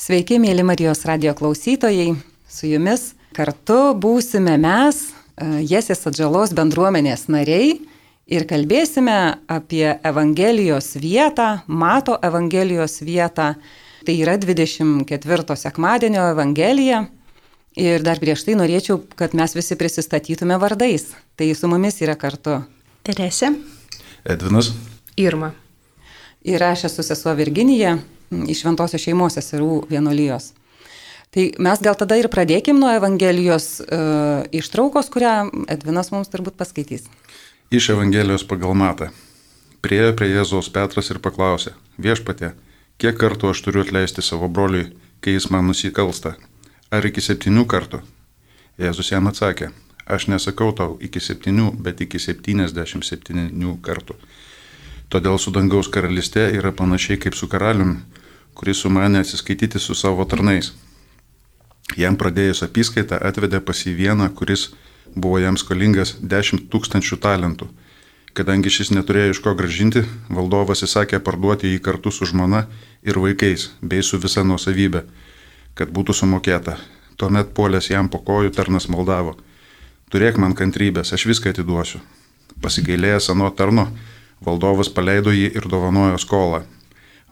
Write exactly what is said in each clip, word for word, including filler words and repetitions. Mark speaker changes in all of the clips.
Speaker 1: Sveiki, mėly Marijos radijo klausytojai, su jumis kartu būsime mes, Jesės Atžalos bendruomenės nariai, ir kalbėsime apie Evangelijos vietą, Mato Evangelijos vietą. Tai yra dvidešimt ketvirto sekmadienio Evangelija. Ir dar prieš tai norėčiau, kad mes visi prisistatytume vardais. Tai su mumis yra kartu
Speaker 2: Teresė,
Speaker 3: Edvinas,
Speaker 2: Irma.
Speaker 1: Ir aš esu sesuo Virginija iš Šventosios šeimos seserų vienuolijos. Tai mes gal tada ir pradėkim nuo Evangelijos uh, ištraukos, kurią Edvinas mums turbūt paskaitys.
Speaker 3: Iš Evangelijos pagal Matą. Priėjo prie Jėzaus Petras ir paklausė: Viešpatie, kiek kartų aš turiu atleisti savo broliui, kai jis man nusikalsta? Ar iki septynių kartų? Jėzus jam atsakė: Aš nesakau tau iki septynių, bet iki septyniasdešimt septynių kartų. Todėl su dangaus karalystė yra panašiai kaip su karaliumi, kuris sumanė atsiskaityti su savo tarnais. Jam pradėjus apyskaitą atvedė pas jį vieną, kuris buvo jam skolingas dešimt tūkstančių talentų. Kadangi šis neturėjo iš ko grąžinti, valdovas įsakė parduoti jį kartu su žmona ir vaikais, bei su visa nuosavybė, kad būtų sumokėta. Tuomet puolęs jam po kojų tarnas maldavo: Turėk man kantrybės, aš viską atiduosiu. Pasigailėjęs ano tarno, valdovas paleido jį ir dovanojo skolą.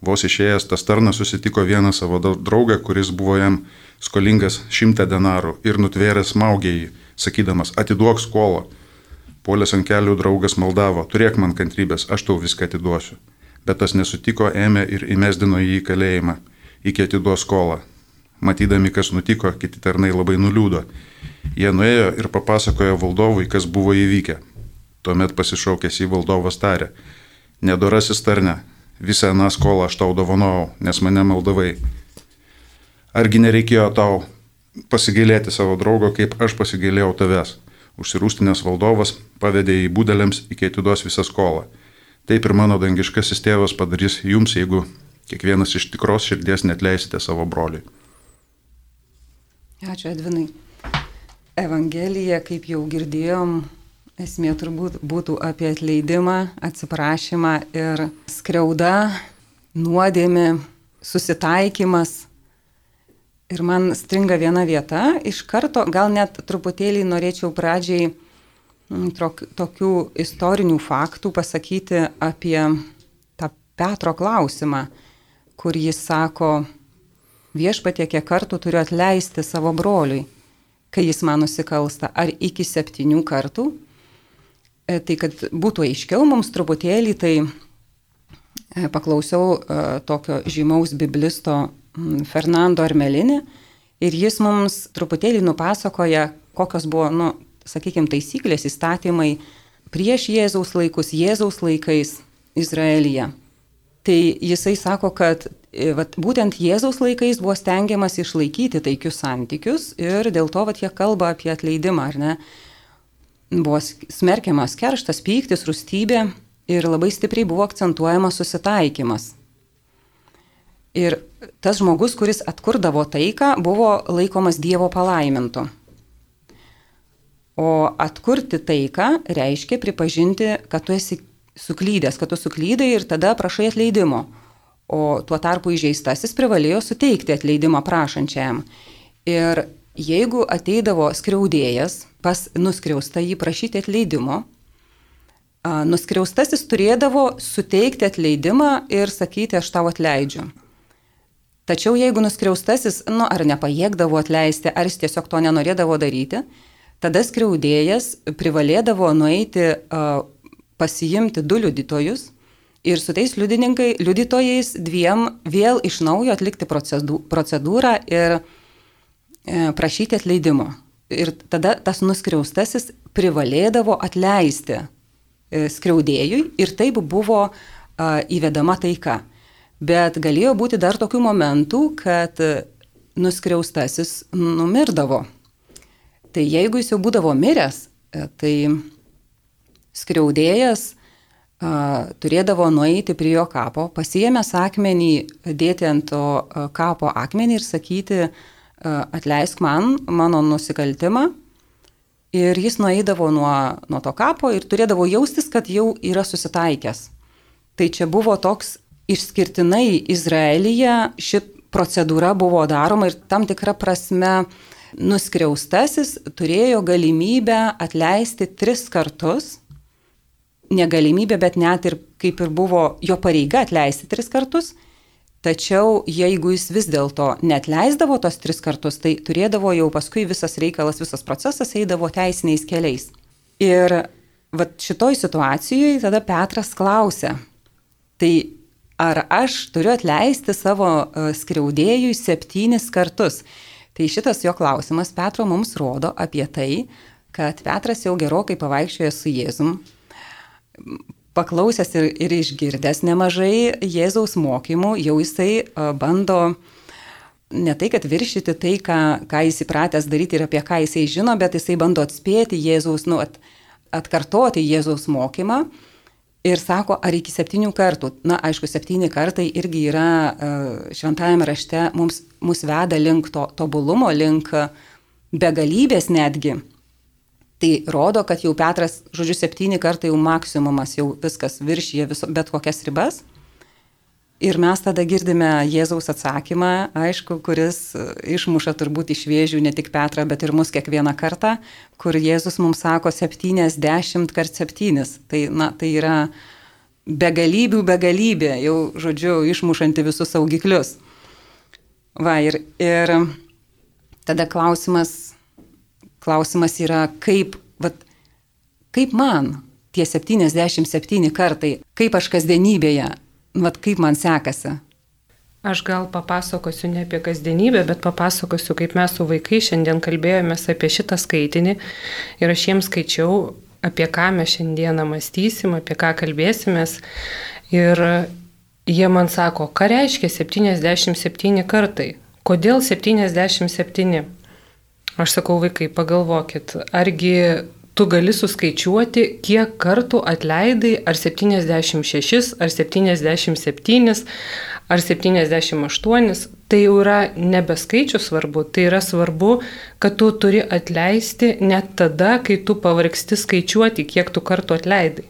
Speaker 3: Vos išėjęs tas tarnas susitiko vieną savo draugą, kuris buvo jam skolingas šimtą denarų, ir nutvėręs smaugė jį, sakydamas: Atiduok skolą. Puolęs ant kelių draugas maldavo: Turėk man kantrybės, aš tau viską atiduosiu. Bet tas nesutiko, ėmė ir įmesdino jį į kalėjimą, iki atiduos skolą. Matydami, kas nutiko, kiti tarnai labai nuliūdo. Jie nuėjo ir papasakojo valdovui, kas buvo įvykę. Tuomet pasišaukęs į valdovas tarė: Nedorasis tarne, visą aną skolą aš tau dovanojau, nes mane maldavai. Argi nereikėjo tau pasigailėti savo draugo, kaip aš pasigailėjau tavęs? Užsirūstinės valdovas pavedė į būdeliams, iki atiduos visą skolą. Taip ir mano dangiškasis tėvas padarys jums, jeigu kiekvienas iš tikros širdies neatleisite savo broliui.
Speaker 1: Ačiū, Edvinai. Evangelija, kaip jau girdėjom, esmė turbūt būtų apie atleidimą, atsiprašymą ir skriauda, nuodėmė, susitaikymas. Ir man stringa viena vieta, iš karto gal net truputėlį norėčiau pradžiai trok, tokių istorinių faktų pasakyti apie tą Petro klausimą, kur jis sako: Viešpatie, kiek kartų turiu atleisti savo broliui, kai jis man nusikalsta, ar iki septynių kartų? E, tai kad būtų aiškiau mums truputėlį, tai e, paklausiau e, tokio žymaus biblisto m, Fernando Armelini, ir jis mums truputėlį nupasakoja, kokios buvo, nu, sakykime, taisyklės, įstatymai prieš Jėzaus laikus, Jėzaus laikais Izraelyje. Tai jisai sako, kad vat, būtent Jėzaus laikais buvo stengiamas išlaikyti taikius santykius ir dėl to vat, jie kalba apie atleidimą, ar ne? Buvo smerkiamas kerštas, pyktis, rūstybė ir labai stipriai buvo akcentuojamas susitaikymas. Ir tas žmogus, kuris atkurdavo taiką, buvo laikomas Dievo palaimintu. O atkurti taiką reiškia pripažinti, kad tu esi suklydęs, kad tu suklydai ir tada prašai atleidimo. O tuo tarpu įžeistasis privalėjo suteikti atleidimą prašančiajam. Ir jeigu ateidavo skriaudėjas pas nuskriaustą jį prašyti atleidimo, nuskriaustasis turėdavo suteikti atleidimą ir sakyti: aš tau atleidžiu. Tačiau jeigu nuskriaustasis, nu, ar nepajėgdavo atleisti, ar jis tiesiog to nenorėdavo daryti, tada skriaudėjas privalėdavo nueiti uh, pasiimti du liudytojus ir su tais liudytojais dviem vėl iš naujo atlikti procedūrą ir prašyti atleidimo. Ir tada tas nuskriaustasis privalėdavo atleisti skriaudėjui ir taip buvo įvedama taika. Bet galėjo būti dar tokių momentų, kad nuskriaustasis numirdavo. Tai jeigu jis jau būdavo miręs, tai skriaudėjas a, turėdavo nueiti prie jo kapo, pasiėmęs akmenį, dėti ant to a, kapo akmenį ir sakyti: a, atleisk man mano nusikaltimą. Ir jis nueidavo nuo, nuo to kapo ir turėdavo jaustis, kad jau yra susitaikęs. Tai čia buvo toks išskirtinai Izraelyje ši procedūra buvo daroma ir tam tikra prasme nuskriaustasis turėjo galimybę atleisti tris kartus. Negalimybė, bet net ir kaip ir buvo jo pareiga atleisti tris kartus. Tačiau jeigu jis vis dėlto neatleisdavo tos tris kartus, tai turėdavo jau paskui visas reikalas, visas procesas eidavo teisiniais keliais. Ir vat šitoj situacijoje tada Petras klausė, tai ar aš turiu atleisti savo skriaudėjui septynis kartus? Tai šitas jo klausimas Petro mums rodo apie tai, kad Petras jau gerokai pavaikščiojo su Jėzum, paklausęs ir, ir išgirdęs nemažai Jėzaus mokymų, jau jisai bando ne tai, kad viršyti tai, ką, ką jis įpratęs daryti ir apie ką jisai žino, bet jisai bando atspėti Jėzaus, nu, at, atkartoti Jėzaus mokymą ir sako, ar iki septynių kartų. Na, aišku, septyni kartai irgi yra šventajame rašte, mums, mus veda link to tobulumo, link begalybės netgi. Tai rodo, kad jau Petras, žodžiu, septyni kartai jau maksimumas, jau viskas viršyje viso, bet kokias ribas. Ir mes tada girdime Jėzaus atsakymą, aišku, kuris išmuša turbūt iš vėžių ne tik Petrą, bet ir mus kiekvieną kartą, kur Jėzus mums sako septyniasdešimt kart septynis. Tai, na, tai yra begalybių begalybė, jau, žodžiu, išmušanti visus saugiklius. Va, ir, ir tada klausimas... Klausimas yra, kaip, vat, kaip man tie septyniasdešimt septyni kartai, kaip aš kasdienybėje, vat, kaip man sekasi.
Speaker 2: Aš gal papasakosiu ne apie kasdienybę, bet papasakosiu, kaip mes su vaikai šiandien kalbėjomės apie šitą skaitinį ir aš jiems skaičiau, apie ką mes šiandieną mąstysim, apie ką kalbėsimės. Ir jie man sako, ką reiškia septyniasdešimt septyni kartai? Kodėl septyniasdešimt septyni? Aš sakau, vaikai, pagalvokit, argi tu gali suskaičiuoti, kiek kartų atleidai, ar septyniasdešimt šešis, ar septyniasdešimt septynis, ar septyniasdešimt aštuonis. Tai jau yra nebeskaičius svarbu, tai yra svarbu, kad tu turi atleisti net tada, kai tu pavargsti skaičiuoti, kiek tu kartų atleidai.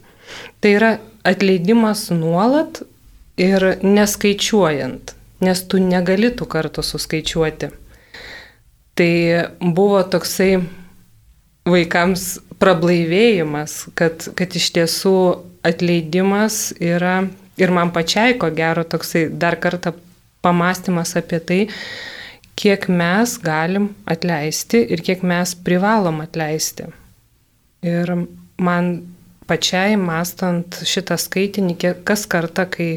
Speaker 2: Tai yra atleidimas nuolat ir neskaičiuojant, nes tu negali tų kartų suskaičiuoti. Tai buvo toksai vaikams prablaivėjimas, kad, kad iš tiesų atleidimas yra, ir man pačiai ko gero toksai dar kartą pamąstymas apie tai, kiek mes galim atleisti ir kiek mes privalom atleisti. Ir man pačiai mąstant šitą skaitinį, kas kartą, kai,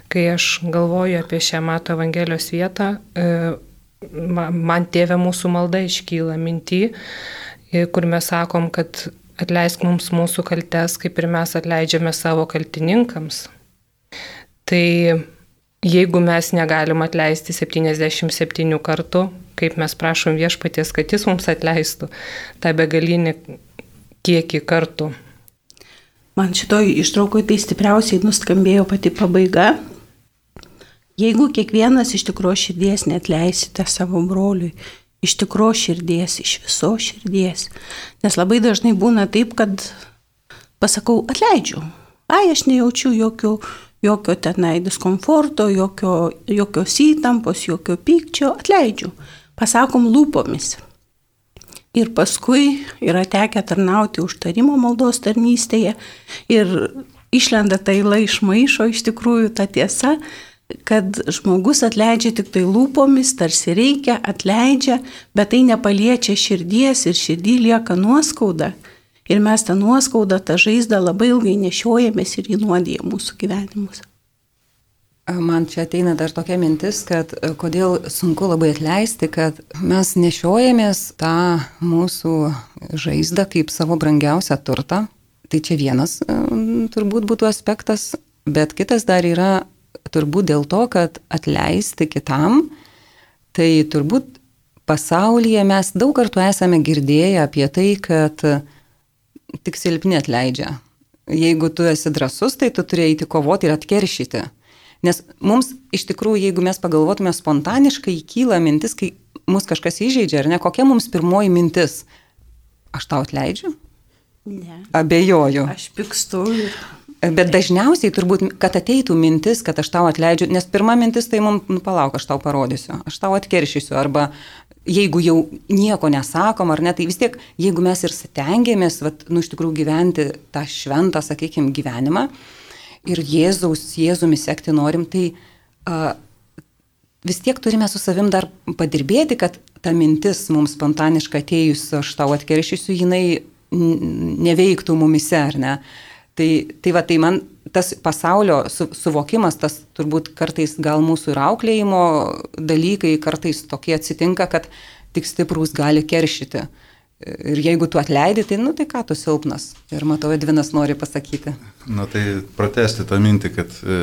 Speaker 2: kai aš galvoju apie šią Mato Evangelijos vietą, man Tėve mūsų malda iškyla mintį, kur mes sakom, kad atleisk mums mūsų kaltes, kaip ir mes atleidžiame savo kaltininkams. Tai jeigu mes negalim atleisti septyniasdešimt septynių kartų, kaip mes prašom Viešpaties, kad jis mums atleistų tą begalinį kiekį kartų.
Speaker 4: Man šitoj ištraukoje tai stipriausiai nuskambėjo pati pabaiga. Jeigu kiekvienas iš tikro širdies neatleisite savo broliui, iš tikro širdies, iš viso širdies, nes labai dažnai būna taip, kad pasakau, atleidžiu, ai, aš nejaučiu jokio, jokio tenai diskomforto, jokio, jokios įtampos, jokio pykčio, atleidžiu, pasakom lūpomis. Ir paskui yra tekę tarnauti užtarimo maldos tarnystėje ir išlenda ta yla iš maišo, iš tikrųjų ta tiesa, kad žmogus atleidžia tik tai lūpomis, tarsi reikia, atleidžia, bet tai nepaliečia širdies ir širdį lieka nuoskauda. Ir mes tą nuoskaudą, tą žaizdą labai ilgai nešiojamės ir įnuodija mūsų gyvenimus.
Speaker 1: Man čia ateina dar tokia mintis, kad kodėl sunku labai atleisti, kad mes nešiojamės tą mūsų žaizdą kaip savo brangiausią turtą. Tai čia vienas turbūt būtų aspektas, bet kitas dar yra turbūt dėl to, kad atleisti kitam, tai turbūt pasaulyje mes daug kartų esame girdėję apie tai, kad tik silpni atleidžia. Jeigu tu esi drąsus, tai tu turi eiti kovoti ir atkeršyti. Nes mums iš tikrųjų, jeigu mes pagalvotume spontaniškai, kyla mintis, kai mus kažkas įžeidžia, ar ne, kokia mums pirmoji mintis? Aš tau atleidžiu?
Speaker 4: Ne.
Speaker 1: Abejoju.
Speaker 4: Aš pykstu ir...
Speaker 1: Bet dažniausiai turbūt, kad ateitų mintis, kad aš tau atleidžiu, nes pirma mintis tai mums, nu palauk, aš tau parodysiu, aš tau atkeršysiu, arba jeigu jau nieko nesakom, ar ne, tai vis tiek, jeigu mes ir stengiamės, vat, nu iš tikrųjų gyventi tą šventą, sakykime, gyvenimą ir Jėzaus, Jėzumi sekti norim, tai uh, vis tiek turime su savim dar padirbėti, kad ta mintis mums spontaniškai atėjus, aš tau atkeršysiu, jinai neveiktų mumise, ar ne. Tai, tai va, tai man tas pasaulio su, suvokimas, tas turbūt kartais gal mūsų ir auklėjimo dalykai kartais tokie atsitinka, kad tik stiprus gali keršyti. Ir jeigu tu atleidi, tai, nu, tai ką tu silpnas. Ir matau, Edvinas nori pasakyti.
Speaker 3: Na tai pratesti tą mintį, kad e,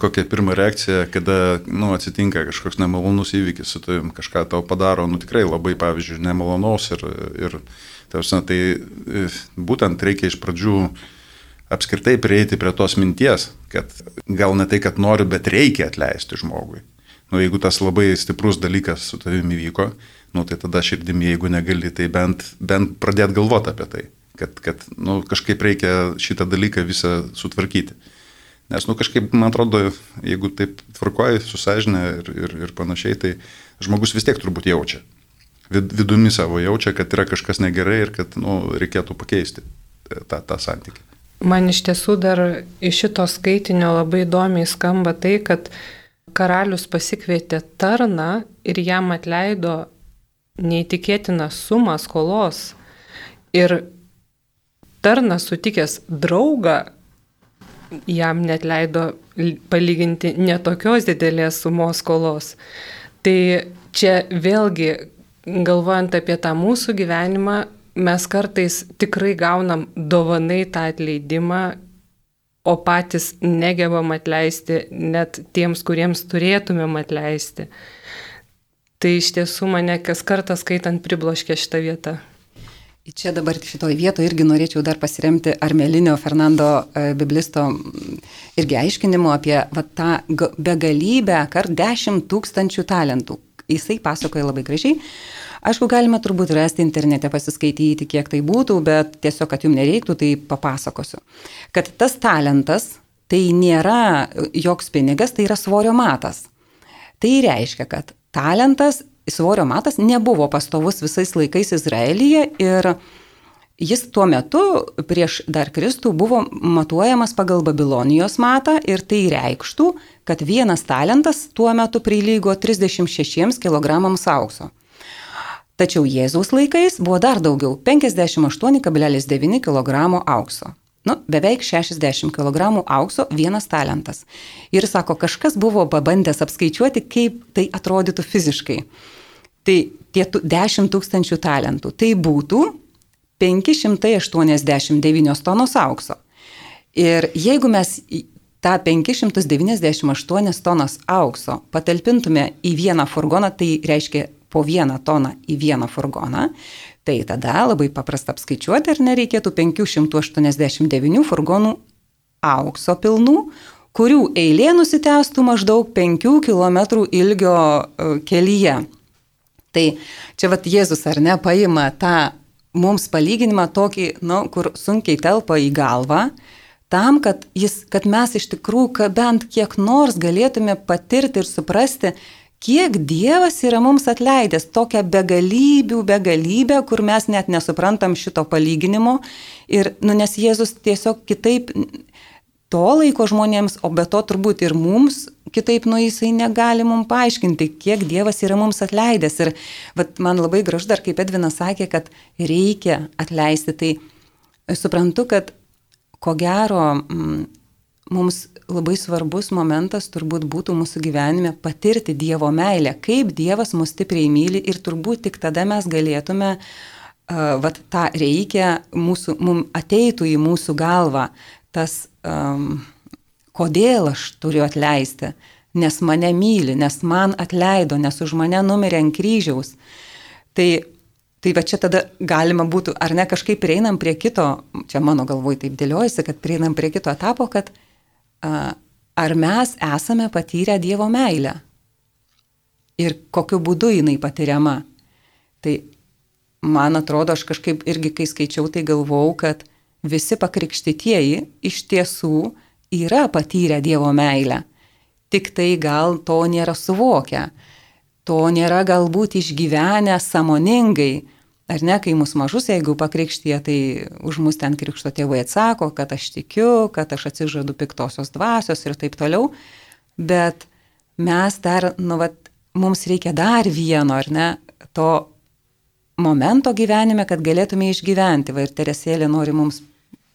Speaker 3: kokia pirma reakcija, kada nu, atsitinka kažkoks nemalonus įvykis su tavim, kažką tau padaro, nu tikrai labai, pavyzdžiui, nemalonaus ir, ir tarsi, tai e, būtent reikia iš pradžių apskritai prieiti prie tos minties, kad gal ne tai, kad noriu, bet reikia atleisti žmogui. Nu, jeigu tas labai stiprus dalykas su tavimi įvyko, nu, tai tada širdimi, jeigu negali, tai bent, bent pradėti galvoti apie tai, kad, kad nu, kažkaip reikia šitą dalyką visą sutvarkyti. Nes, nu, kažkaip, man atrodo, jeigu taip tvarkoji su sąžine ir, ir, ir panašiai, tai žmogus vis tiek turbūt jaučia. Vid, vidumi savo jaučia, kad yra kažkas negerai ir kad, nu, reikėtų pakeisti tą, tą santykį.
Speaker 2: Man iš tiesų dar iš šito skaitinio labai įdomiai skamba tai, kad karalius pasikvietė tarną ir jam atleido neįtikėtiną sumą skolos. Ir tarnas sutikęs draugą jam net leido palyginti netokios didelės sumos skolos. Tai čia vėlgi, galvojant apie tą mūsų gyvenimą, mes kartais tikrai gaunam dovanai tą atleidimą, o patys negebam atleisti net tiems, kuriems turėtumėm atleisti. Tai iš tiesų mane kas kartą skaitant pribloškė šitą vietą.
Speaker 1: Čia dabar šitoje vietoje irgi norėčiau dar pasiremti Armelinio Fernando biblisto irgi aiškinimu apie va, tą begalybę, kart dešimt tūkstančių talentų. Jisai pasakoja labai gražiai. Aišku, galima turbūt rasti internete, pasiskaityti, kiek tai būtų, bet tiesiog, kad jums nereiktų, tai papasakosiu. Kad tas talentas, tai nėra joks pinigas, tai yra svorio matas. Tai reiškia, kad talentas, svorio matas nebuvo pastovus visais laikais Izraelyje ir jis tuo metu prieš dar Kristų buvo matuojamas pagal Babilonijos matą ir tai reikštų, kad vienas talentas tuo metu prilygo trisdešimt šešiems kilogramams aukso. Tačiau Jėzaus laikais buvo dar daugiau – penkiasdešimt aštuoni kablelis devyni kilogramo aukso. Nu, beveik šešiasdešimt kilogramų aukso vienas talentas. Ir sako, kažkas buvo pabandęs apskaičiuoti, kaip tai atrodytų fiziškai. Tai tie dešimt tūkstančių talentų. Tai būtų penki šimtai aštuoniasdešimt devynios tonos aukso. Ir jeigu mes tą penki šimtai devyniasdešimt aštuonias tonas aukso patalpintume į vieną furgoną, tai reiškia po vieną toną į vieną furgoną, tai tada labai paprasta apskaičiuoti, ar nereikėtų penki šimtai aštuoniasdešimt devynių furgonų aukso pilnų, kurių eilė nusitęstų maždaug penkių kilometrų ilgio kelyje. Tai čia vat Jėzus ar ne paima tą mums palyginimą tokį, nu, kur sunkiai telpa į galvą, tam, kad, jis, kad mes iš tikrųjų bent kiek nors galėtume patirti ir suprasti, kiek Dievas yra mums atleidęs, tokią begalybių, begalybę, kur mes net nesuprantam šito palyginimo. Ir, nu, nes Jėzus tiesiog kitaip to laiko žmonėms, o be to turbūt ir mums kitaip, nu, jisai negali mums paaiškinti, kiek Dievas yra mums atleidęs. Ir vat, man labai gražu dar, kaip Edvinas sakė, kad reikia atleisti. Tai suprantu, kad ko gero m, mums labai svarbus momentas turbūt būtų mūsų gyvenime patirti Dievo meilę, kaip Dievas mus stipriai myli ir turbūt tik tada mes galėtume, uh, vat tą reikia, mūsų, mums ateitų į mūsų galvą tas, um, kodėl aš turiu atleisti, nes mane myli, nes man atleido, nes už mane numirė ant kryžiaus. Tai Tai va čia tada galima būtų, ar ne, kažkaip prieinam prie kito, čia mano galvoj taip dėliojasi, kad prieinam prie kito etapo, kad a, ar mes esame patyrę Dievo meilę ir kokiu būdu jinai patiriama. Tai man atrodo, aš kažkaip irgi, kai skaičiau, tai galvau, kad visi pakrikštytieji iš tiesų yra patyrę Dievo meilę, tik tai gal to nėra suvokę, to nėra galbūt išgyvenę sąmoningai. Ar ne, kai mus mažus, jeigu pakrikštyje, tai už mus ten krikšto tėvai atsako, kad aš tikiu, kad aš atsižadu piktosios dvasios ir taip toliau. Bet mes dar, nu, vat, mums reikia dar vieno, ar ne, to momento gyvenime, kad galėtume išgyventi. Va, ir Teresėlė nori mums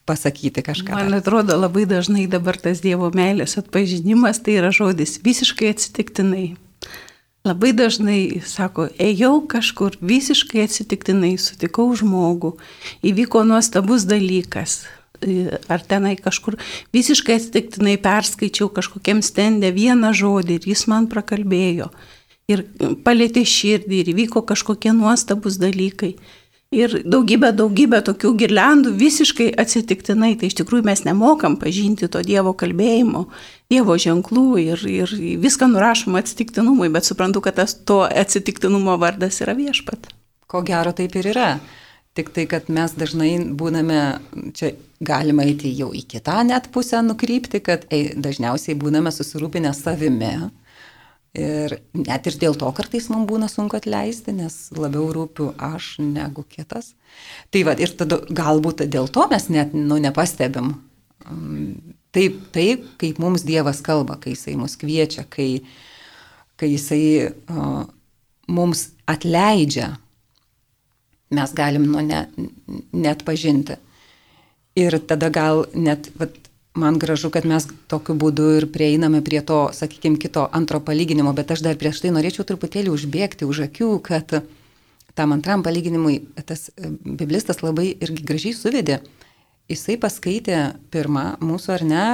Speaker 1: pasakyti kažką.
Speaker 4: Man atrodo, labai dažnai dabar tas Dievo meilės atpažinimas tai yra žodis visiškai atsitiktinai. Labai dažnai sako, ėjau kažkur visiškai atsitiktinai, sutikau žmogų, įvyko nuostabus dalykas. Ar tenai kažkur visiškai atsitiktinai perskaičiau kažkokiam stende vieną žodį ir jis man prakalbėjo. Ir palėtė širdį ir įvyko kažkokie nuostabus dalykai. Ir daugybė, daugybė tokių girliandų visiškai atsitiktinai. Tai iš tikrųjų mes nemokam pažinti to Dievo kalbėjimo, Dievo ženklų ir, ir viską nurašom atsitiktinumui, bet suprantu, kad tas to atsitiktinumo vardas yra Viešpat.
Speaker 1: Ko gero taip ir yra. Tik tai, kad mes dažnai būname, čia galima eiti jau į kitą net pusę nukrypti, kad ei, dažniausiai būname susirūpinę savimi. Ir net ir dėl to kartais mums būna sunku atleisti, nes labiau rūpiu aš negu kitas. Tai va, ir tada galbūt dėl to mes net nu, nepastebim. Taip, taip, kaip mums Dievas kalba, kai Jisai mus kviečia, kai, kai Jisai uh, mums atleidžia, mes galim nu, ne, net pažinti. Ir tada gal net... Vat, man gražu, kad mes tokiu būdu ir prieiname prie to, sakykime, kito antro palyginimo, bet aš dar prieš tai norėčiau truputėlį užbėgti už akių, kad tam antram palyginimui tas biblistas labai irgi gražiai suvedė. Jisai paskaitė pirmą mūsų ar ne,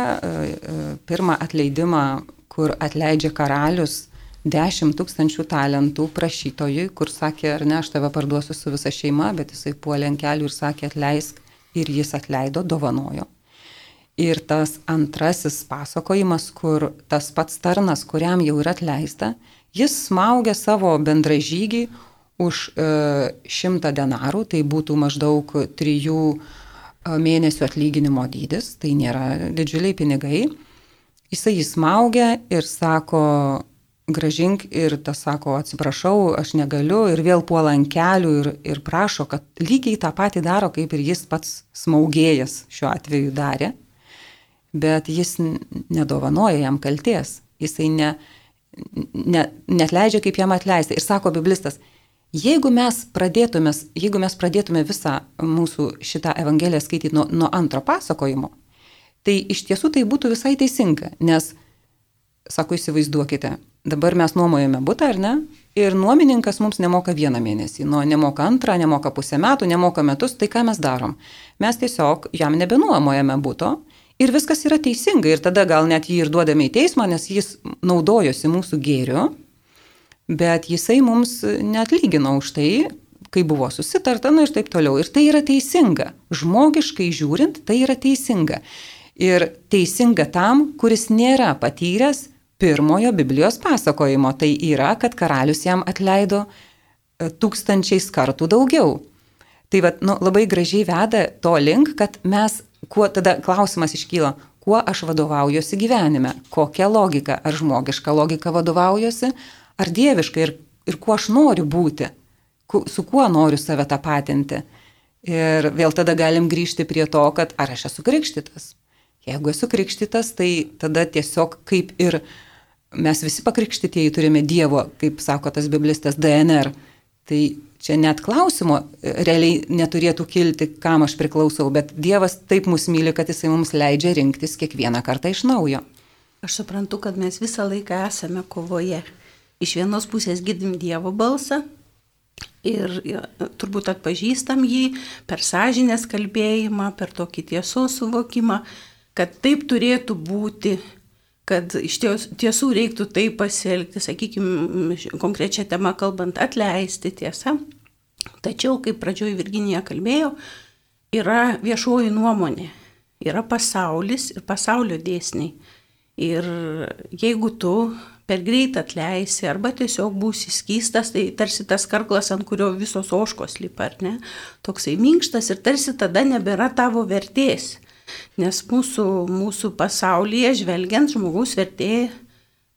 Speaker 1: pirmą atleidimą, kur atleidžia karalius dešimt tūkstančių talentų prašytojui, kur sakė, ar ne, aš tave parduosiu su visa šeima, bet jisai puolė ant kelių ir sakė atleisk ir jis atleido, dovanojo. Ir tas antrasis pasakojimas, kur tas pats tarnas, kuriam jau yra atleista, jis smaugia savo bendražygį už e, šimtą denarų, tai būtų maždaug trijų mėnesių atlyginimo dydis, tai nėra didžiuliai pinigai. Jisai jį smaugia ir sako, gražink, ir tas sako, atsiprašau, aš negaliu, ir vėl puola ant kelių ir, ir prašo, kad lygiai tą patį daro, kaip ir jis pats smaugėjas šiuo atveju darė. Bet jis nedovanoja jam kalties, jisai ne, ne, netleidžia, kaip jam atleisti. Ir sako biblistas, jeigu mes pradėtume, jeigu mes pradėtume visą mūsų šitą evangeliją skaityti nuo, nuo antro pasakojimo, tai iš tiesų tai būtų visai teisinga, nes, sako, įsivaizduokite, dabar mes nuomojame butą, ar ne? Ir nuomininkas mums nemoka vieną mėnesį, nu, nemoka antrą, nemoka pusę metų, nemoka metus, tai ką mes darom? Mes tiesiog jam nebenuomojame buto, ir viskas yra teisinga, ir tada gal net jį ir duodame į teismą, nes jis naudojosi mūsų gėriu, bet jisai mums neatlygino už tai, kai buvo susitarta, nu ir taip toliau. Ir tai yra teisinga. Žmogiškai žiūrint, tai yra teisinga. Ir teisinga tam, kuris nėra patyręs pirmojo Biblijos pasakojimo. Tai yra, kad karalius jam atleido tūkstančiais kartų daugiau. Tai vat, nu, labai gražiai veda to link, kad mes kuo tada klausimas iškyla, kuo aš vadovaujuosi gyvenime, kokia logika, ar žmogiška logika vadovaujuosi, ar dieviška ir, ir kuo aš noriu būti, ku, su kuo noriu save tapatinti. Ir vėl tada galim grįžti prie to, kad ar aš esu krikštytas. Jeigu esu krikštytas, tai tada tiesiog kaip ir mes visi pakrikštytieji turime Dievo, kaip sako tas biblistas, D N R. Tai čia net klausimo realiai neturėtų kilti, kam aš priklausau, bet Dievas taip mus myli, kad Jisai mums leidžia rinktis kiekvieną kartą iš naujo.
Speaker 4: Aš suprantu, kad mes visą laiką esame kovoje. Iš vienos pusės girdim Dievo balsą ir ja, turbūt atpažįstam jį per sąžinės kalbėjimą, per tokį tiesos suvokimą, kad taip turėtų būti, kad iš tiesų reiktų taip pasielgti, sakykime, konkrečią temą kalbant, atleisti, tiesa. Tačiau, kaip pradžioj Virginija kalbėjo, yra viešoji nuomonė, yra pasaulis ir pasaulio dėsniai. Ir jeigu tu per greit atleisi arba tiesiog būsi skystas, tai tarsi tas karklas, ant kurio visos ožkos lipa, ar ne? Toksai minkštas ir tarsi tada nebėra tavo vertės. Nes mūsų, mūsų pasaulyje žvelgiant žmogaus vertė,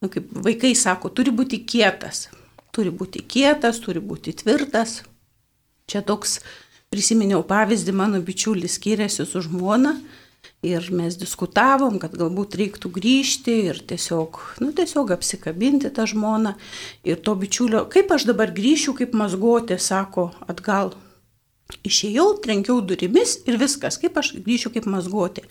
Speaker 4: nu, kaip vaikai sako, turi būti kietas. Turi būti kietas, turi būti tvirtas. Čia toks, prisiminiau pavyzdį, mano bičiulis skyrėsi su žmona ir mes diskutavom, kad galbūt reiktų grįžti ir tiesiog, nu, tiesiog apsikabinti tą žmoną. Ir to bičiulio, kaip aš dabar grįšiu, kaip mazgotė, sako, atgal. Išėjau, trenkiau durimis ir viskas, kaip aš grįšiu kaip mazgotė.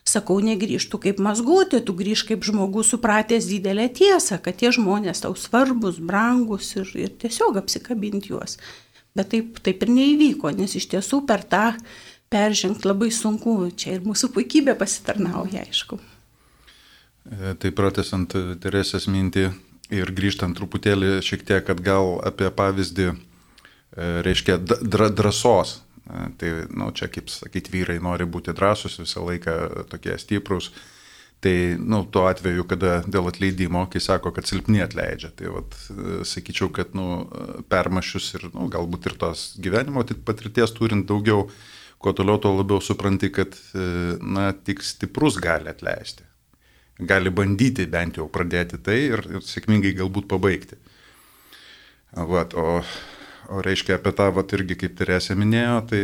Speaker 4: Sakau, negrįžtų kaip mazgotė, tu grįž kaip žmogus supratęs didelę tiesą, kad tie žmonės tau svarbus, brangus ir, ir tiesiog apsikabinti juos. Bet taip, taip ir neįvyko, nes iš tiesų per tą peržengti labai sunku, čia ir mūsų puikybė pasitarnauja, aišku.
Speaker 3: Tai pratęsant Teresės mintį ir grįžtant truputėlį šiek tiek atgal apie pavyzdį, reiškia dra, drąsos. Tai, nu, čia, kaip sakyti, vyrai nori būti drąsus, visą laiką tokie stiprus. Tai, nu, tuo atveju, kada dėl atleidimo, kai sako, kad silpni atleidžia, tai, vat, sakyčiau, kad, nu, permašius ir, nu, galbūt ir tos gyvenimo patirties turint daugiau, kuo toliau, tuo labiau supranti, kad, na, tik stiprus gali atleisti. Gali bandyti bent jau pradėti tai ir, ir sėkmingai galbūt pabaigti. Vat, o O reiškia apie tą, vat, irgi kaip Teresė minėjo, tai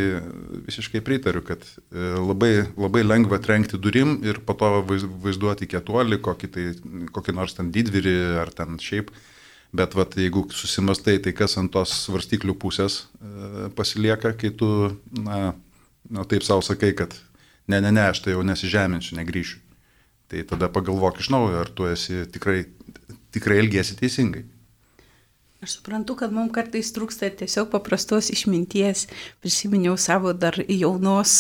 Speaker 3: visiškai pritariu, kad labai, labai lengva trenkti durim ir po to vaizduoti kietuolį, kokį, tai, kokį nors ten didvyrį ar ten šiaip. Bet vat, jeigu susimastai, tai kas ant tos svarstyklių pusės e, pasilieka, kai tu, na, na, taip savo sakai, kad ne, ne, ne, aš tai jau nesižeminsiu, negryšiu. Tai tada pagalvok iš naujo, ar tu esi tikrai, tikrai elgiesi teisingai.
Speaker 4: Aš suprantu, kad mums kartais trūksta tiesiog paprastos išminties. Prisiminiau savo dar jaunos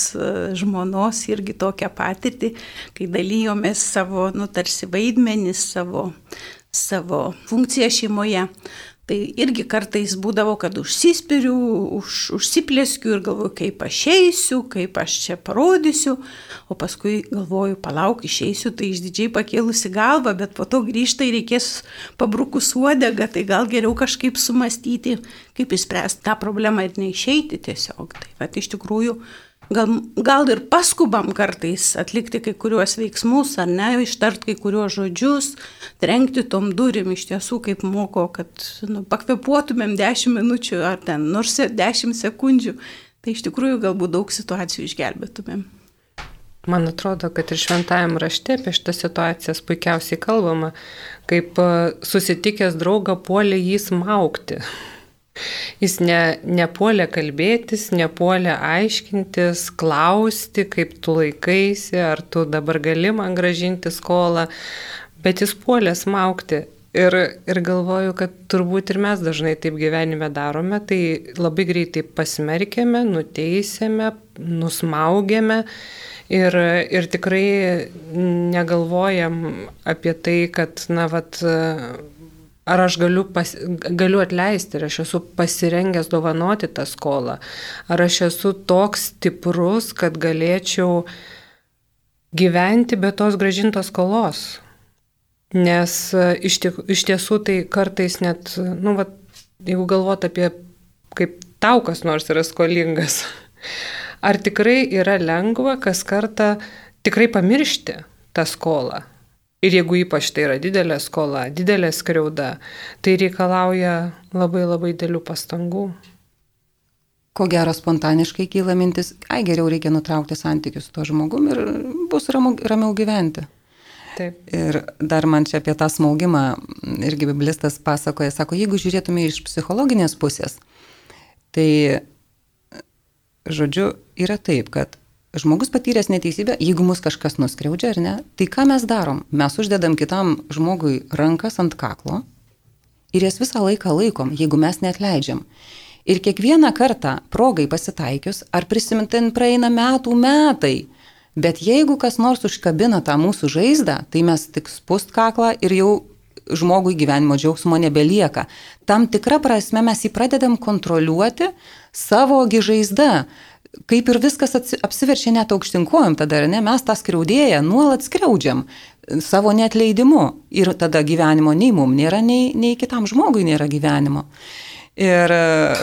Speaker 4: žmonos irgi tokią patirtį, kai dalyjomės savo, nu, tarsi vaidmenis, savo, savo funkciją šeimoje. Tai irgi kartais būdavo, kad užsispiriu, už, užsiplėskiu ir galvoju, kaip aš eisiu, kaip aš čia parodysiu, o paskui galvoju, palauk, išeisiu, tai išdidžiai pakėlusi galvą, bet po to grįžta ir reikės pabrukus uodegą, tai gal geriau kažkaip sumastyti, kaip išspręsti tą problemą ir neišeiti tiesiog. Tai va, iš tikrųjų, gal, gal ir paskubam kartais atlikti kai kuriuos veiksmus, ar ne, ištart kai kuriuos žodžius, trenkti tom durim iš tiesų, kaip moko, kad, nu, pakvepuotumėm dešimt minučių ar ten nors dešimt sekundžių, tai iš tikrųjų galbūt daug situacijų išgelbėtumėm.
Speaker 2: Man atrodo, kad ir šventajam rašte apie šitas situacijas puikiausiai kalbama, kaip susitikęs draugą puolė jį smaugti. Jis ne, nepuolė kalbėtis, nepuolė aiškintis, klausti, kaip tu laikaisi, ar tu dabar gali man grąžinti skolą, bet jis puolė smaugti. Ir, ir galvoju, kad turbūt ir mes dažnai taip gyvenime darome, tai labai greitai pasmerkėme, nuteisėme, nusmaugėme ir, ir tikrai negalvojam apie tai, kad, na, vat, ar aš galiu, pas, galiu atleisti, ar aš esu pasirengęs dovanoti tą skolą, ar aš esu toks stiprus, kad galėčiau gyventi be tos grąžintos skolos. Nes iš, tik, iš tiesų tai kartais net, nu, va, jeigu galvot apie, kaip tau kas nors yra skolingas, ar tikrai yra lengva kas kartą tikrai pamiršti tą skolą. Ir jeigu ypač tai yra didelė skola, didelė skriauda, tai reikalauja labai labai dėlių pastangų.
Speaker 1: Ko gero spontaniškai kyla mintis, ai geriau reikia nutraukti santykius su tuo žmogum ir bus ramu, ramiau gyventi.
Speaker 2: Taip.
Speaker 1: Ir dar man čia apie tą smaugimą irgi biblistas pasakoja, sako, jeigu žiūrėtume iš psichologinės pusės, tai, žodžiu, yra taip, kad žmogus patyręs neteisybę, jeigu mus kažkas nuskriaudžia ar ne, tai ką mes darom? Mes uždedam kitam žmogui rankas ant kaklo ir jas visą laiką laikom, jeigu mes neatleidžiam. Ir kiekvieną kartą progai pasitaikius, ar prisimintin praeina metų metai, bet jeigu kas nors užkabina tą mūsų žaizdą, tai mes tik spust kaklą ir jau žmogui gyvenimo džiaugsmo nebelieka. Tam tikrą prasme mes jį pradedam kontroliuoti savo žaizdą. Kaip ir viskas apsiverčia net aukštinkojom tada, ne, mes tą skriaudėją nuolat skriaudžiam savo neatleidimu. Ir tada gyvenimo nei mum nėra, nei, nei kitam žmogui nėra gyvenimo. Ir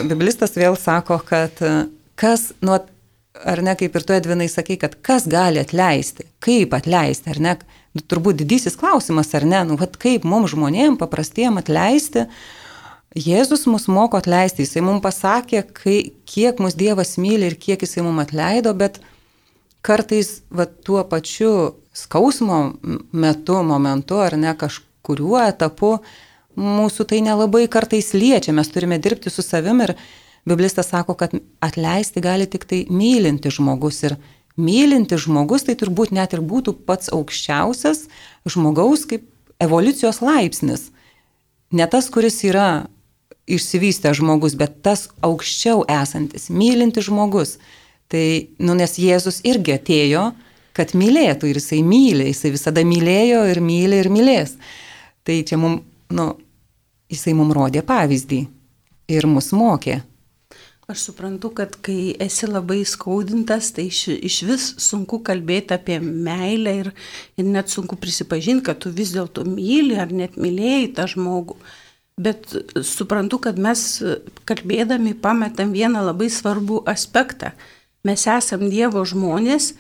Speaker 1: biblistas vėl sako, kad kas, nu, ar ne, kaip ir tu, Edvinai, sakai, kad kas gali atleisti, kaip atleisti, ar ne, turbūt didysis klausimas, ar ne, nu, vat, kaip mums žmonėm paprastiem atleisti. Jėzus mus moko atleisti, jisai mums pasakė, kai, kiek mus Dievas myli ir kiek jisai mums atleido, bet kartais vat, tuo pačiu skausmo metu, momentu, ar ne, kažkuriuo etapu mūsų tai nelabai kartais liečia, mes turime dirbti su savim ir Biblistas sako, kad atleisti gali tik tai mylinti žmogus ir mylinti žmogus tai turbūt net ir būtų pats aukščiausias žmogaus kaip evoliucijos laipsnis. Ne tas, kuris yra išsivystęs žmogus, bet tas aukščiau esantis, mylinti žmogus. Tai, nu, nes Jėzus irgi atėjo, kad mylėtų ir jisai myli, jisai visada mylėjo ir myli ir mylės. Tai čia mums, nu, jisai mums rodė pavyzdį ir mus mokė.
Speaker 4: Aš suprantu, kad kai esi labai skaudintas, tai iš, iš vis sunku kalbėti apie meilę ir, ir net sunku prisipažinti, kad tu vis dėlto myli ar net mylėjai tą žmogų. Bet suprantu, kad mes kalbėdami pametam vieną labai svarbų aspektą. Mes esam Dievo žmonės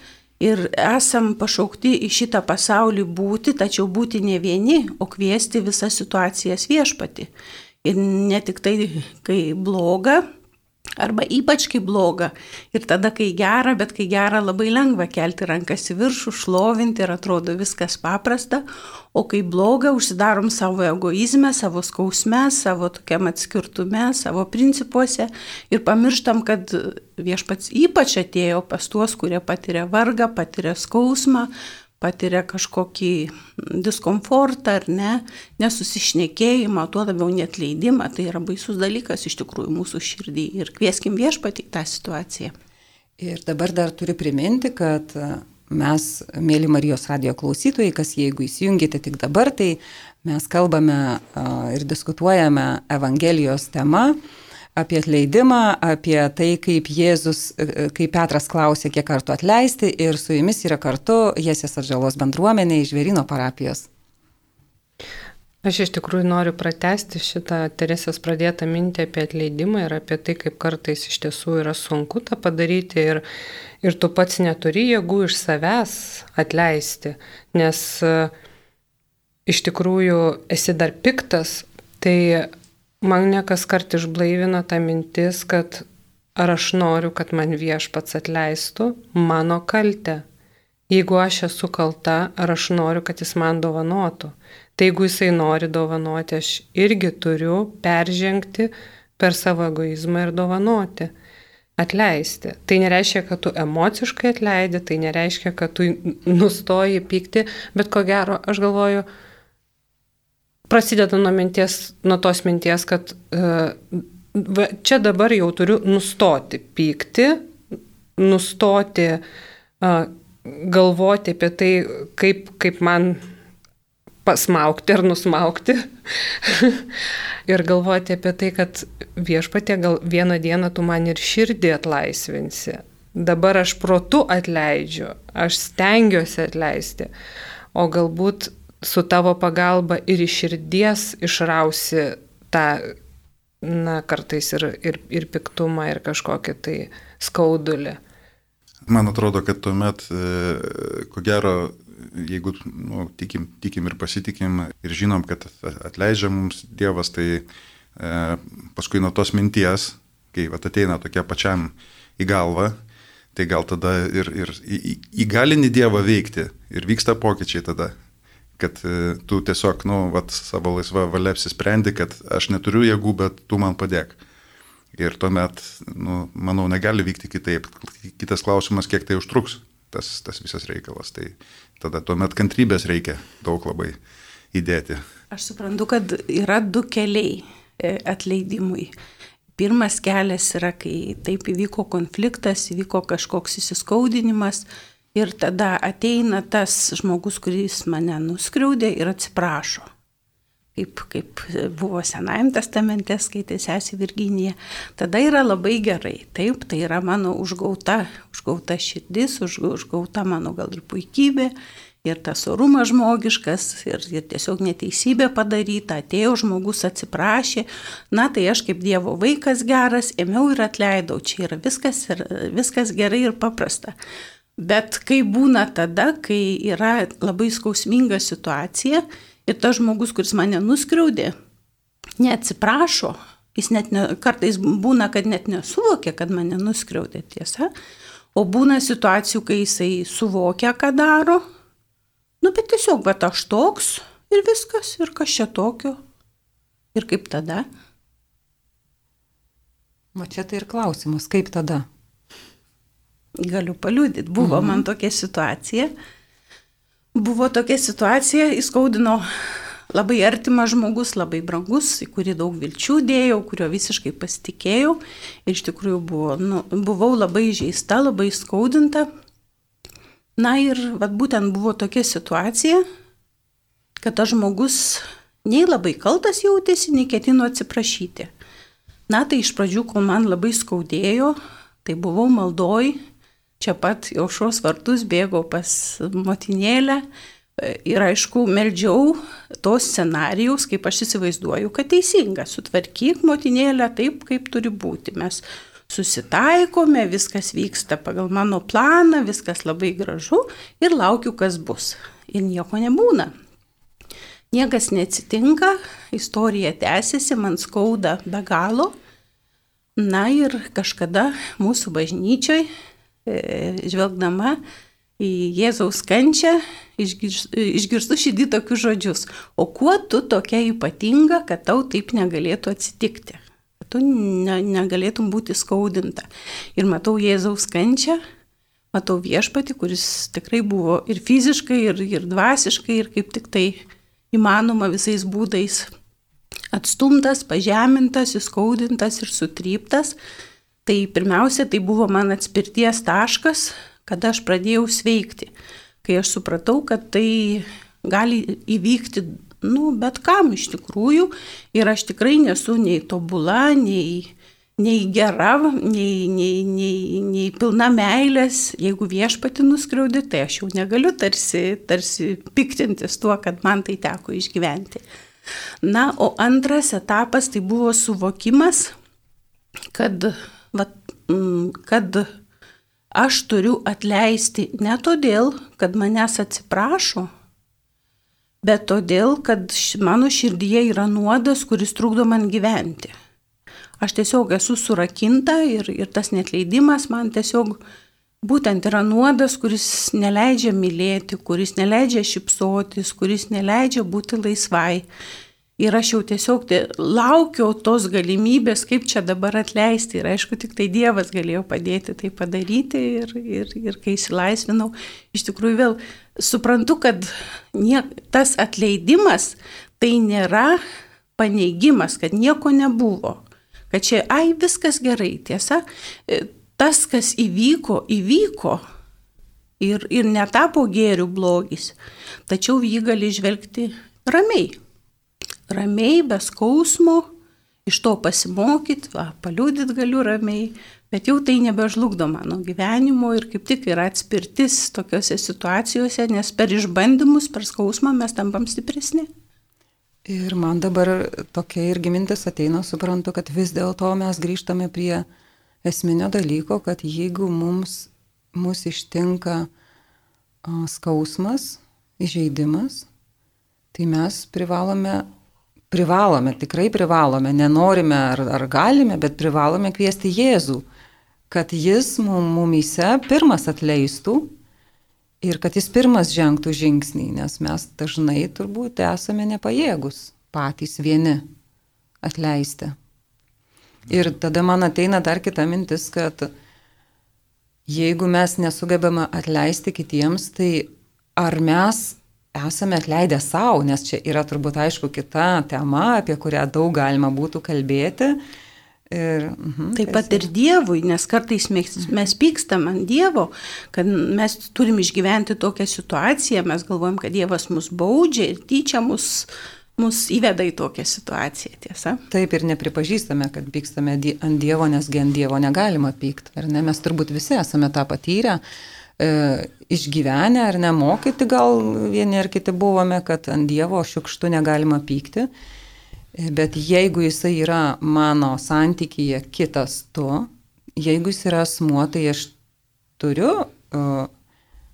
Speaker 4: ir esam pašaukti į šitą pasaulį būti, tačiau būti ne vieni, o kviesti visas situacijas viešpatį. Ir ne tik tai, kai bloga, arba ypač kai bloga. Ir tada, kai gera, bet kai gera labai lengva kelti rankas į viršų, šlovinti ir atrodo viskas paprasta. O kai bloga, užsidarom savo egoizme, savo skausme, savo tokiam atskirtume, savo principuose ir pamirštam, kad viešpats ypač atėjo pas tuos, kurie patiria vargą, patiria skausmą, patiria kažkokį diskomfortą ar ne, nesusišnekėjimą, tuo labiau neatleidimą. Tai yra baisus dalykas iš tikrųjų mūsų širdį ir kvieskim viešpatį tą situaciją.
Speaker 1: Ir dabar dar turiu priminti, kad mes, mėly Marijos radijo klausytojai, kas jeigu įsijungite tik dabar, tai mes kalbame ir diskutuojame Evangelijos tema apie atleidimą, apie tai, kaip Jėzus, kaip Petras klausė, kiek kartų atleisti, ir su jumis yra kartu Jesės atžalos bendruomenė iš Žvėryno parapijos.
Speaker 2: Aš iš tikrųjų noriu pratęsti šitą Teresės pradėtą mintį apie atleidimą ir apie tai, kaip kartais iš tiesų yra sunku tą padaryti ir, ir tu pats neturi jėgų iš savęs atleisti, nes iš tikrųjų esi dar piktas, tai mane kas kart išblaivina ta mintis, kad ar aš noriu, kad man viešpats atleistų mano kaltę. Jeigu aš esu kalta, ar aš noriu, kad jis man dovanotų. Tai jeigu jisai nori dovanoti, aš irgi turiu peržengti per savo egoizmą ir dovanoti. Atleisti. Tai nereiškia, kad tu emociškai atleidi, tai nereiškia, kad tu nustoji pykti, bet ko gero, aš galvoju, prasideda nuo, minties, nuo tos minties, kad uh, va, čia dabar jau turiu nustoti pykti, nustoti uh, galvoti apie tai, kaip, kaip man pasmaukti ar nusmaukti ir galvoti apie tai, kad viešpatie gal vieną dieną tu man ir širdį atlaisvinsi. Dabar aš protu atleidžiu, aš stengiuosi atleisti, o galbūt su tavo pagalba ir iš širdies išrausi tą, na, kartais ir, ir, ir piktumą, ir kažkokį tai skaudulį.
Speaker 3: Man atrodo, kad tuomet, ko gero, jeigu nu, tikim, tikim ir pasitikim ir žinom, kad atleidžia mums Dievas, tai e, paskui nuo tos minties, kai vat, ateina tokia pačiam į galvą, tai gal tada ir, ir įgalini Dievą veikti ir vyksta pokyčiai tada. Kad tu tiesiog, nu, vat, savo laisvą valią apsisprendi, kad aš neturiu jėgų, bet tu man padėk. Ir tuomet, nu, manau, negali vykti kitaip. Kitas klausimas, kiek tai užtruks, tas, tas visas reikalas. Tai tada tuomet kantrybės reikia daug labai įdėti.
Speaker 4: Aš suprantu, kad yra du keliai atleidimui. Pirmas kelias yra, kai taip įvyko konfliktas, įvyko kažkoks įsiskaudinimas, ir tada ateina tas žmogus, kuris mane nuskriaudė ir atsiprašo. Kaip, kaip buvo Senajam testamente, skaitė sesė Virginija. Tada yra labai gerai. Taip, tai yra mano užgauta, užgauta širdis, už, užgauta mano gal ir puikybė. ir tas orumas žmogiškas, ir, ir tiesiog neteisybė padaryta, atėjo žmogus, atsiprašė, na tai aš kaip Dievo vaikas geras, ėmiau ir atleidau, čia yra viskas, ir, viskas gerai ir paprasta. Bet kai būna tada, kai yra labai skausminga situacija ir tas žmogus, kuris mane nuskriaudė, neatsiprašo, jis net ne, kartais būna, kad net nesuvokia, kad mane nuskriaudė, tiesa, o būna situacijų, kai jisai suvokia, ką daro, nu bet tiesiog, bet aš toks ir viskas, ir kas čia tokio, ir kaip tada.
Speaker 1: O čia tai ir klausimas, kaip tada?
Speaker 4: Galiu paliudyti, buvo mhm. man tokia situacija, buvo tokia situacija, įskaudino labai artimas žmogus, labai brangus, į kurį daug vilčių dėjau, kurio visiškai pasitikėjau. Ir iš tikrųjų buvo, nu, buvau labai žeista, labai skaudinta. Na ir vat, būtent buvo tokia situacija, kad tas žmogus nei labai kaltas jautėsi, nei ketino atsiprašyti. Na tai iš pradžių, kol man labai skaudėjo, tai buvau maldoj, čia pat į aušros vartus bėgau pas motinėlę. Ir aišku, meldžiau tos scenarijaus, kaip aš įsivaizduoju, kad teisinga. Sutvarkyk motinėlę taip, kaip turi būti. Mes susitaikome, viskas vyksta pagal mano planą, viskas labai gražu ir laukiu, kas bus. Ir nieko nebūna. Niekas neatsitinka, istorija tęsiasi, man skauda be galo. Na ir kažkada mūsų bažnyčioj, žvelgdama į Jėzaus kančią, išgirstu širdį tokius žodžius. O kuo tu tokia ypatinga, kad tau taip negalėtų atsitikti? Kad tu ne, negalėtum būti skaudinta. Ir matau Jėzaus kančią, matau viešpatį, kuris tikrai buvo ir fiziškai, ir, ir dvasiškai, ir kaip tik tai įmanoma visais būdais atstumtas, pažemintas, įskaudintas ir sutryptas. Tai pirmiausia, tai buvo man atspirties taškas, kada aš pradėjau sveikti, kai aš supratau, kad tai gali įvykti, nu, bet kam iš tikrųjų, ir aš tikrai nesu nei tobula, nei, nei gera, nei, nei, nei, nei pilna meilės. Jeigu viešpatį nuskriaudi, tai aš jau negaliu tarsi, tarsi piktintis tuo, kad man tai teko išgyventi. Na, o antras etapas tai buvo suvokimas, kad, vat, kad aš turiu atleisti ne todėl, kad manęs atsiprašo, bet todėl, kad mano širdyje yra nuodas, kuris trukdo man gyventi. Aš tiesiog esu surakinta ir, ir tas neatleidimas man tiesiog būtent yra nuodas, kuris neleidžia mylėti, kuris neleidžia šypsotis, kuris neleidžia būti laisvai. Ir aš jau tiesiog laukiau tos galimybės, kaip čia dabar atleisti. Ir aišku, tik tai Dievas galėjo padėti tai padaryti. Ir, ir, ir kai įsilaisvinau, iš tikrųjų vėl suprantu, kad nie, tas atleidimas tai nėra paneigimas, kad nieko nebuvo. Kad čia, ai, viskas gerai, tiesa. Tas, kas įvyko, įvyko. Ir, ir netapo gėrių blogis. Tačiau jį gali žvelgti ramiai. Ramiai, be skausmo, iš to pasimokyti, va, paliudyti galiu ramiai, bet jau tai nebežlugdo mano gyvenimo ir kaip tik yra atspirtis tokiuose situacijose, nes per išbandymus, per skausmą mes tampam stipresni.
Speaker 1: Ir man dabar tokia irgi mintis ateina, suprantu, kad vis dėlto mes grįžtame prie esminio dalyko, kad jeigu mums, mus ištinka skausmas, įžeidimas, tai mes privalome Privalome, tikrai privalome, nenorime ar, ar galime, bet privalome kviesti Jėzų, kad jis mumyse pirmas atleistų ir kad jis pirmas žengtų žingsnį, nes mes dažnai turbūt esame nepajėgus patys vieni atleisti. Ir tada man ateina dar kita mintis, kad jeigu mes nesugebame atleisti kitiems, tai ar mes esame atleidę savo, nes čia yra turbūt aišku kita tema, apie kurią daug galima būtų kalbėti. Ir, uh-huh,
Speaker 4: Taip pat ir Dievui, nes kartais mes, mes pykstam ant Dievo, kad mes turim išgyventi tokią situaciją, mes galvojam, kad Dievas mus baudžia ir tyčia mus, mus įveda į tokią situaciją, tiesa?
Speaker 1: Taip ir nepripažįstame, kad pykstame ant Dievo, nes ant Dievo negalima pykti. Ar ne? Mes turbūt visi esame tą patyrę. e, išgyvenę ar nemokyti, gal vieni ar kiti buvome, kad ant Dievo šiukštu negalima pykti. Bet jeigu jisai yra mano santykyje kitas tu, jeigu jis yra asmuo, tai aš turiu uh,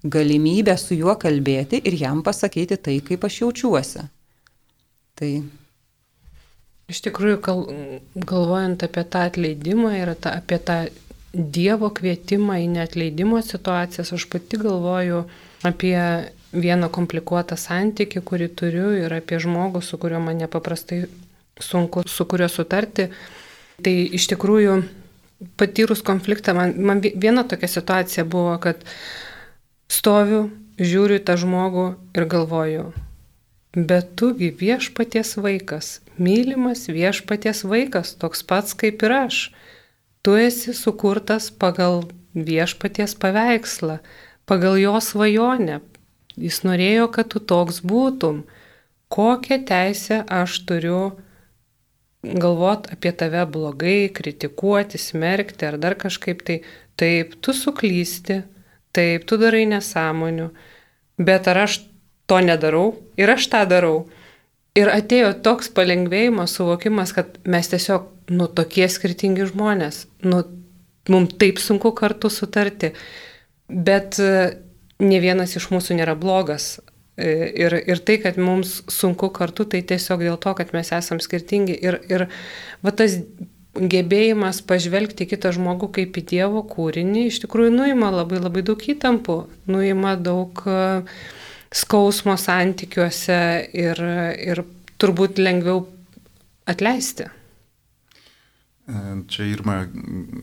Speaker 1: galimybę su juo kalbėti ir jam pasakyti tai, kaip aš jaučiuosi. Tai.
Speaker 2: Iš tikrųjų, gal, galvojant apie tą atleidimą ir tą, apie tą Dievo kvietimą į neatleidimo situacijas, aš pati galvoju apie vieną komplikuotą santykį, kurį turiu, ir apie žmogų, su kuriuo man nepaprastai sunku su kuriuo sutarti. Tai iš tikrųjų, patyrus konfliktą, man, man viena tokia situacija buvo, kad stoviu, žiūriu į tą žmogų ir galvoju, bet tugi viešpaties vaikas, mylimas viešpaties vaikas, toks pats kaip ir aš. Tu esi sukurtas pagal viešpaties paveikslą, pagal jo svajonę. Jis norėjo, kad tu toks būtum. Kokią teisę aš turiu galvot apie tave blogai, kritikuoti, smerkti ar dar kažkaip tai. Taip, tu suklysti, taip, tu darai nesąmonių, bet ar aš to nedarau ir aš tą darau. Ir atėjo toks palengvėjimas, suvokimas, kad mes tiesiog, nu, tokie skirtingi žmonės, nu, mums taip sunku kartu sutarti, bet ne vienas iš mūsų nėra blogas. Ir, ir tai, kad mums sunku kartu, tai tiesiog dėl to, kad mes esam skirtingi. Ir, ir va tas gebėjimas pažvelgti kitą žmogų kaip į Dievo kūrinį, iš tikrųjų nuima labai labai daug įtampų, nuima daug skausmo santykiuose ir, ir turbūt lengviau atleisti.
Speaker 3: Čia Irma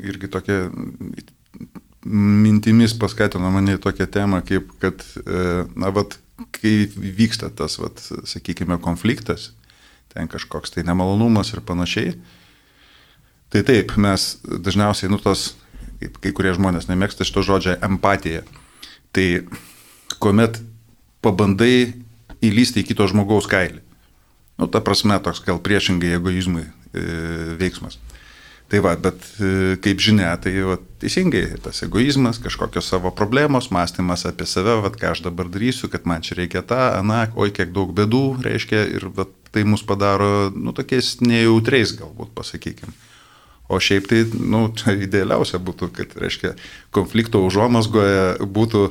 Speaker 3: irgi tokia mintimis paskatino mane tokią temą, kaip kad, na, vat, kai vyksta tas, vat, sakykime, konfliktas, ten kažkoks tai nemalonumas ir panašiai, tai taip, mes dažniausiai, nu, tos, kaip kai kurie žmonės nemėgsta šito žodžio empatija, tai kuomet pabandai įlysti į kito žmogaus kailį. Nu, ta prasme, toks gal priešingai egoizmui e, veiksmas. Tai va, bet e, kaip žinia, tai va, teisingai, tas egoizmas, kažkokios savo problemos, mąstymas apie save, va, ką aš dabar darysiu, kad man čia reikia tą, aną, oi, kiek daug bėdų, reiškia, ir va, tai mus padaro, nu, tokiais nejautriais galbūt, pasakykime. O šiaip tai, nu, idealiausia būtų, kad, reiškia, konflikto užuomazgoje būtų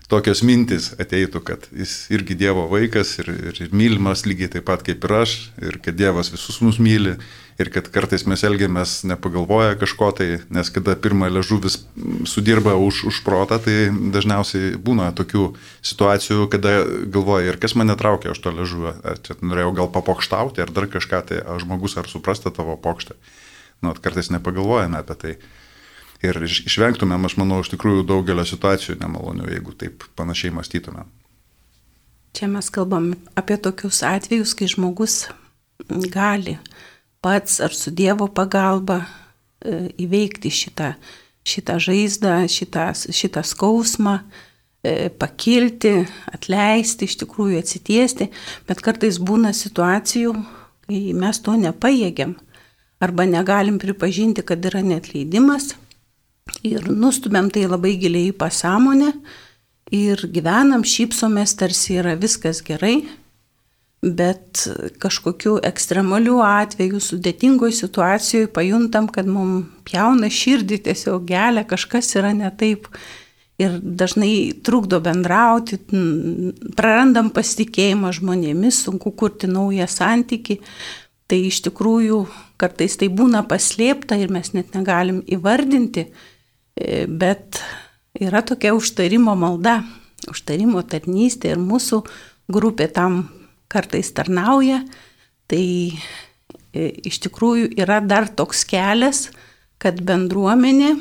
Speaker 3: tokios mintis ateitų, kad jis irgi Dievo vaikas ir, ir, ir mylimas lygiai taip pat kaip ir aš, ir kad Dievas visus mus myli, ir kad kartais mes elgiamės nepagalvoję kažko tai, nes kada pirmą liežuvis sudirba už, už protą, tai dažniausiai būna tokių situacijų, kada galvoja, ir kas mane traukia už to liežuvio, ar čia norėjau gal papokštauti, ar dar kažką, tai ar žmogus ar suprasta tavo pokštą. Nu, kartais nepagalvojame apie tai. Ir išvengtumėm, aš manau, iš tikrųjų daugelio situacijų nemalonių, jeigu taip panašiai mąstytumėm.
Speaker 4: Čia mes kalbam apie tokius atvejus, kai žmogus gali pats ar su Dievo pagalba įveikti šitą, šitą žaizdą, šitą, šitą skausmą, pakilti, atleisti, iš tikrųjų atsitiesti, bet kartais būna situacijų, kai mes to nepajėgiam arba negalim pripažinti, kad yra neatleidimas. Ir nustumėm tai labai giliai į pasąmonę ir gyvenam, šypsomės, tarsi yra viskas gerai, bet kažkokiu ekstremaliu atveju, sudėtingoj situacijoje pajuntam, kad mums pjauna širdį, tiesiog gelia, kažkas yra ne taip ir dažnai trukdo bendrauti, prarandam pasitikėjimą žmonėmis, sunku kurti naują santykį. Tai iš tikrųjų kartais tai būna paslėpta ir mes net negalim įvardinti, bet yra tokia užtarimo malda, užtarimo tarnystė ir mūsų grupė tam kartais tarnauja. Tai iš tikrųjų yra dar toks kelias, kad bendruomenė,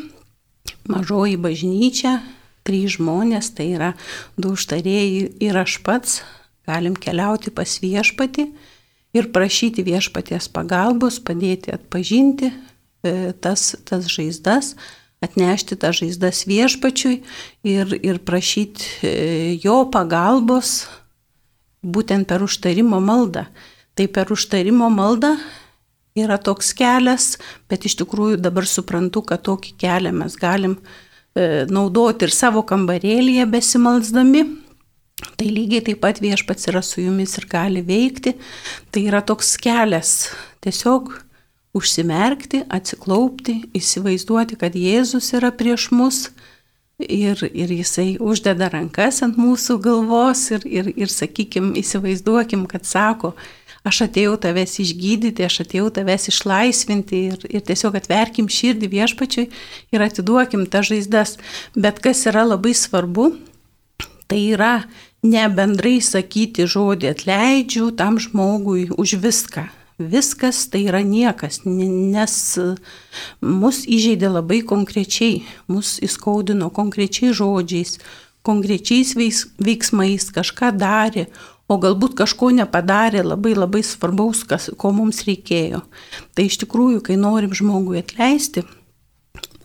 Speaker 4: mažoji bažnyčia, trys žmonės, tai yra du užtarėjai ir aš pats, galim keliauti pas viešpatį ir prašyti viešpaties pagalbos, padėti atpažinti tas, tas žaizdas, atnešti tą žaizdas viešpačiui ir, ir prašyti jo pagalbos būtent per užtarimo maldą. Tai per užtarimo maldą yra toks kelias, bet iš tikrųjų dabar suprantu, kad tokį kelią mes galim naudoti ir savo kambarėlyje besimalsdami. Tai lygiai taip pat Viešpats yra su jumis ir gali veikti. Tai yra toks kelias tiesiog užsimerkti, atsiklaupti, įsivaizduoti, kad Jėzus yra prieš mus ir, ir jisai uždeda rankas ant mūsų galvos ir, ir, ir sakykim, įsivaizduokim, kad sako, aš atėjau tavęs išgydyti, aš atėjau tavęs išlaisvinti ir, ir tiesiog atverkim širdį Viešpačiui ir atiduokim tas žaizdas. Bet kas yra labai svarbu, tai yra ne bendrai sakyti žodį atleidžiu tam žmogui už viską. Viskas tai yra niekas, nes mus įžeidė labai konkrečiai, mus įskaudino konkrečiai žodžiais, konkrečiais veiksmais, kažką darė, o galbūt kažko nepadarė labai labai svarbaus, kas, ko mums reikėjo. Tai iš tikrųjų, kai norim žmogui atleisti,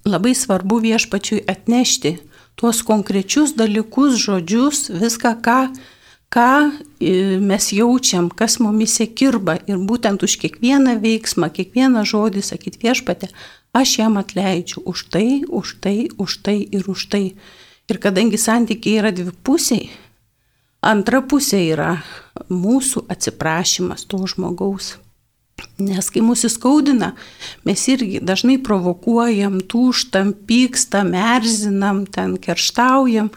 Speaker 4: labai svarbu Viešpačiui atnešti tuos konkrečius dalykus, žodžius, viską, ką, ką mes jaučiam, kas mumise kirba ir būtent už kiekvieną veiksmą, kiekvieną žodį sakyti Viešpate, aš jam atleidžiu už tai, už tai, už tai ir už tai. Ir kadangi santykiai yra dvipusiai, antra pusė yra mūsų atsiprašymas to žmogaus. Nes kai mūsų skaudina, mes irgi dažnai provokuojam, tūžtam, pykstam, erzinam, ten kerštaujam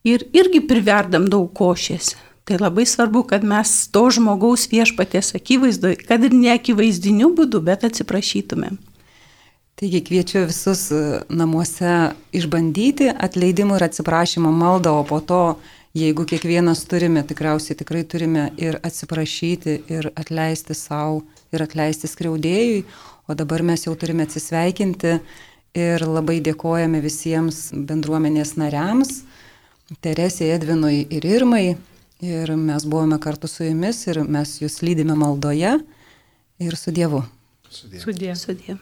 Speaker 4: ir irgi priverdam daug košės. Tai labai svarbu, kad mes to žmogaus Viešpaties akivaizdoje, kad ir ne akivaizdiniu būdu, bet atsiprašytumėm.
Speaker 1: Taigi kviečiu visus namuose išbandyti atleidimų ir atsiprašymo maldą, o po to, jeigu kiekvienas turime, tikriausiai tikrai turime ir atsiprašyti, ir atleisti savo, ir atleisti skriaudėjui, o dabar mes jau turime atsisveikinti ir labai dėkojame visiems bendruomenės nariams, Teresei, Edvinui ir Irmai, ir mes buvome kartu su jumis ir mes jūs lydime maldoje ir su Dievu.
Speaker 2: Sudie.
Speaker 4: Sudie.